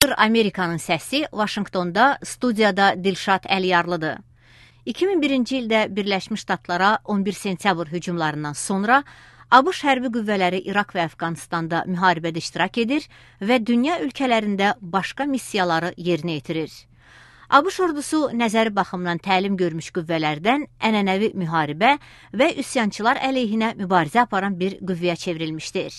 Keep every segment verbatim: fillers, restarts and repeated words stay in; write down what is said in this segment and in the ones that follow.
Efter Amerikanın səsi Vaşinqtonda studiyada Dilşad Əliyarlıdır. iki min birinci ildə Birləşmiş Ştatlara on bir sentyabr hücumlarından sonra ABŞ hərbi qüvvələri İraq və Əfqanistanda müharibədə iştirak edir və dünya ölkələrində başqa missiyaları yerinə yetirir. ABŞ ordusu nəzəri baxımdan təlim görmüş qüvvələrdən ənənəvi müharibə və üsyançılar əleyhinə mübarizə aparan bir qüvvəyə çevrilmişdir.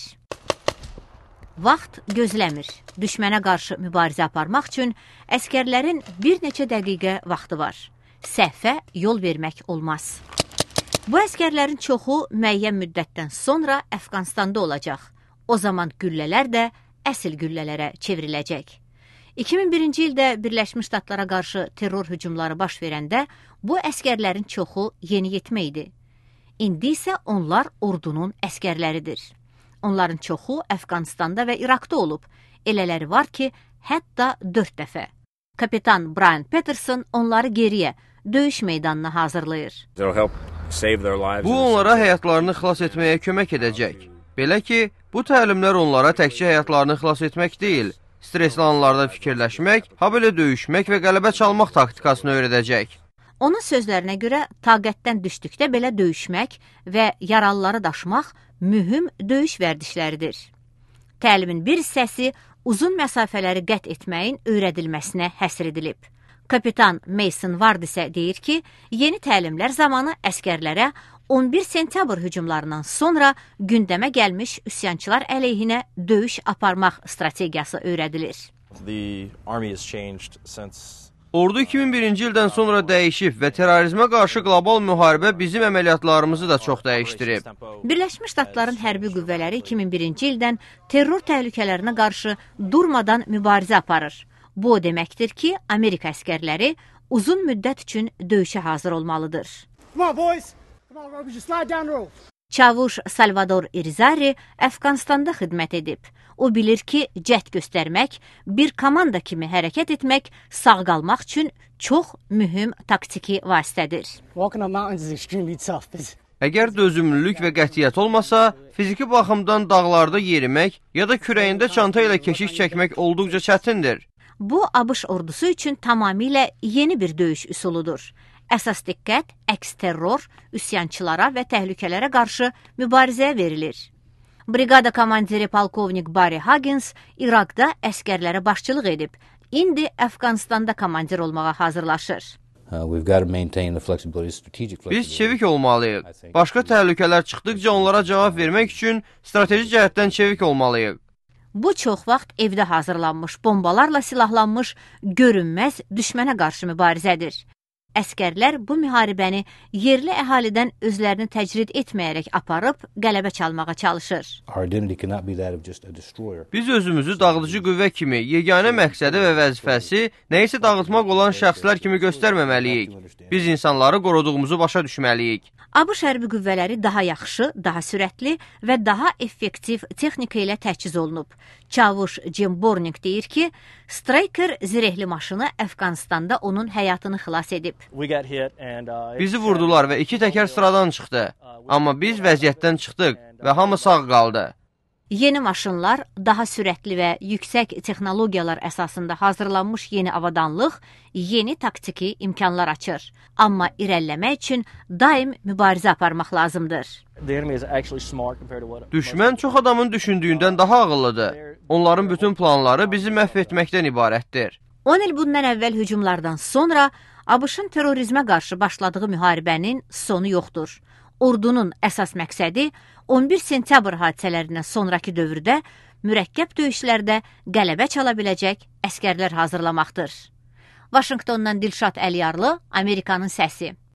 Vaxt gözləmir. Düşmənə qarşı mübarizə aparmaq üçün əskərlərin bir neçə dəqiqə vaxtı var. Səhvə yol vermək olmaz. Bu əskərlərin çoxu müəyyən müddətdən sonra Əfqanistanda olacaq. O zaman güllələr də əsl güllələrə çevriləcək. iki min birinci ildə Birləşmiş Ştatlara qarşı terror hücumları baş verəndə bu əskərlərin çoxu yeniyetmə idi. İndi isə onlar ordunun əskərləridir. Onların çoxu Əfqanistanda və İraqda olub. Elələri var ki, hətta dörd dəfə. Kapitan Brian Peterson onları geriyə, döyüş meydanına hazırlayır. Bu onlara həyatlarını xilas etməyə kömək edəcək. Belə ki, bu təlimlər onlara təkcə həyatlarını xilas etmək deyil, stresli anlarda fikirləşmək, ha belə döyüşmək və qələbə çalmaq taktikasını öyrədəcək. Onun sözlərinə görə taqətdən düşdükdə belə döyüşmək və yaralıları daşımaq mühüm döyüş vərdişləridir. Təlimin bir hissəsi uzun məsafələri qət etməyin öyrədilməsinə həsr edilib. Kapitan Mason Ward isə deyir ki, yeni təlimlər zamanı əskərlərə on bir sentyabr hücumlarından sonra gündəmə gəlmiş üsyançılar əleyhinə döyüş aparmaq strategiyası öyrədilir. Ordu iki min birinci ildən sonra dəyişib və terrorizmə qarşı qlobal müharibə bizim əməliyyatlarımızı da çox dəyişdirib. Birləşmiş Ştatların hərbi qüvvələri iki min birinci ildən terror təhlükələrinə qarşı durmadan mübarizə aparır. Bu o deməkdir ki, Amerika əskərləri uzun müddət üçün döyüşə hazır olmalıdır. Çavuş Salvador Irizarry Əfqanistanda xidmət edib. O bilir ki, cəhd göstərmək, bir komanda kimi hərəkət etmək sağ qalmaq üçün çox mühüm taktiki vasitədir. Əgər dözümlülük və qətiyyət olmasa, fiziki baxımdan dağlarda yerimək ya da kürəyində çanta ilə keşik çəkmək olduqca çətindir. Bu, ABŞ ordusu üçün tamamilə yeni bir döyüş üsuludur. Əsas diqqət əks terror, üsyançılara və təhlükələrə qarşı mübarizəyə verilir. Briqada komandiri polkovnik Barry Huggins İraqda əskərlərə başçılıq edib. İndi Əfqanistanda komandir olmağa hazırlaşır. Biz çevik olmalıyıq. Başqa təhlükələr çıxdıqca onlara cavab vermək üçün strateji cəhətdən çevik olmalıyıq. Bu çox vaxt evdə hazırlanmış, bombalarla silahlanmış, görünməz düşmənə qarşı mübarizədir. Əskərlər bu müharibəni yerli əhalidən özlərini təcrid etməyərək aparıb qələbə çalmağa çalışır. Biz özümüzü dağıdıcı qüvvə kimi, yeganə məqsədi və vəzifəsi nəyisə dağıtmaq olan şəxslər kimi göstərməməliyik. Biz insanları qoruduğumuzu başa düşməliyik. ABŞ hərbi qüvvələri daha yaxşı, daha sürətli və daha effektiv texnika ilə təchiz olunub. Çavuş Jim Borning deyir ki, Stryker zirehli maşını Əfqanistanda onun həyatını xilas edib. Bizi vurdular və iki təkər sıradan çıxdı. Amma biz vəziyyətdən çıxdıq və hamı sağ qaldı. Yeni maşınlar, daha sürətli və yüksək texnologiyalar əsasında hazırlanmış yeni avadanlıq, yeni taktiki imkanlar açır. Amma irəliləmək üçün daim mübarizə aparmaq lazımdır. Düşmən çox adamın düşündüyündən daha ağıllıdır. Onların bütün planları bizi məhv etməkdən ibarətdir. on il bundan əvvəl hücumlardan sonra ABŞ-ın terrorizmə qarşı başladığı müharibənin sonu yoxdur. Ordunun əsas məqsədi on bir sentyabr hadisələrindən sonraki dövrdə mürəkkəb döyüşlərdə qələbə çala biləcək əskərlər hazırlamaqdır. Vaşinqtondan Dilşad Əliyarlı, Amerikanın səsi.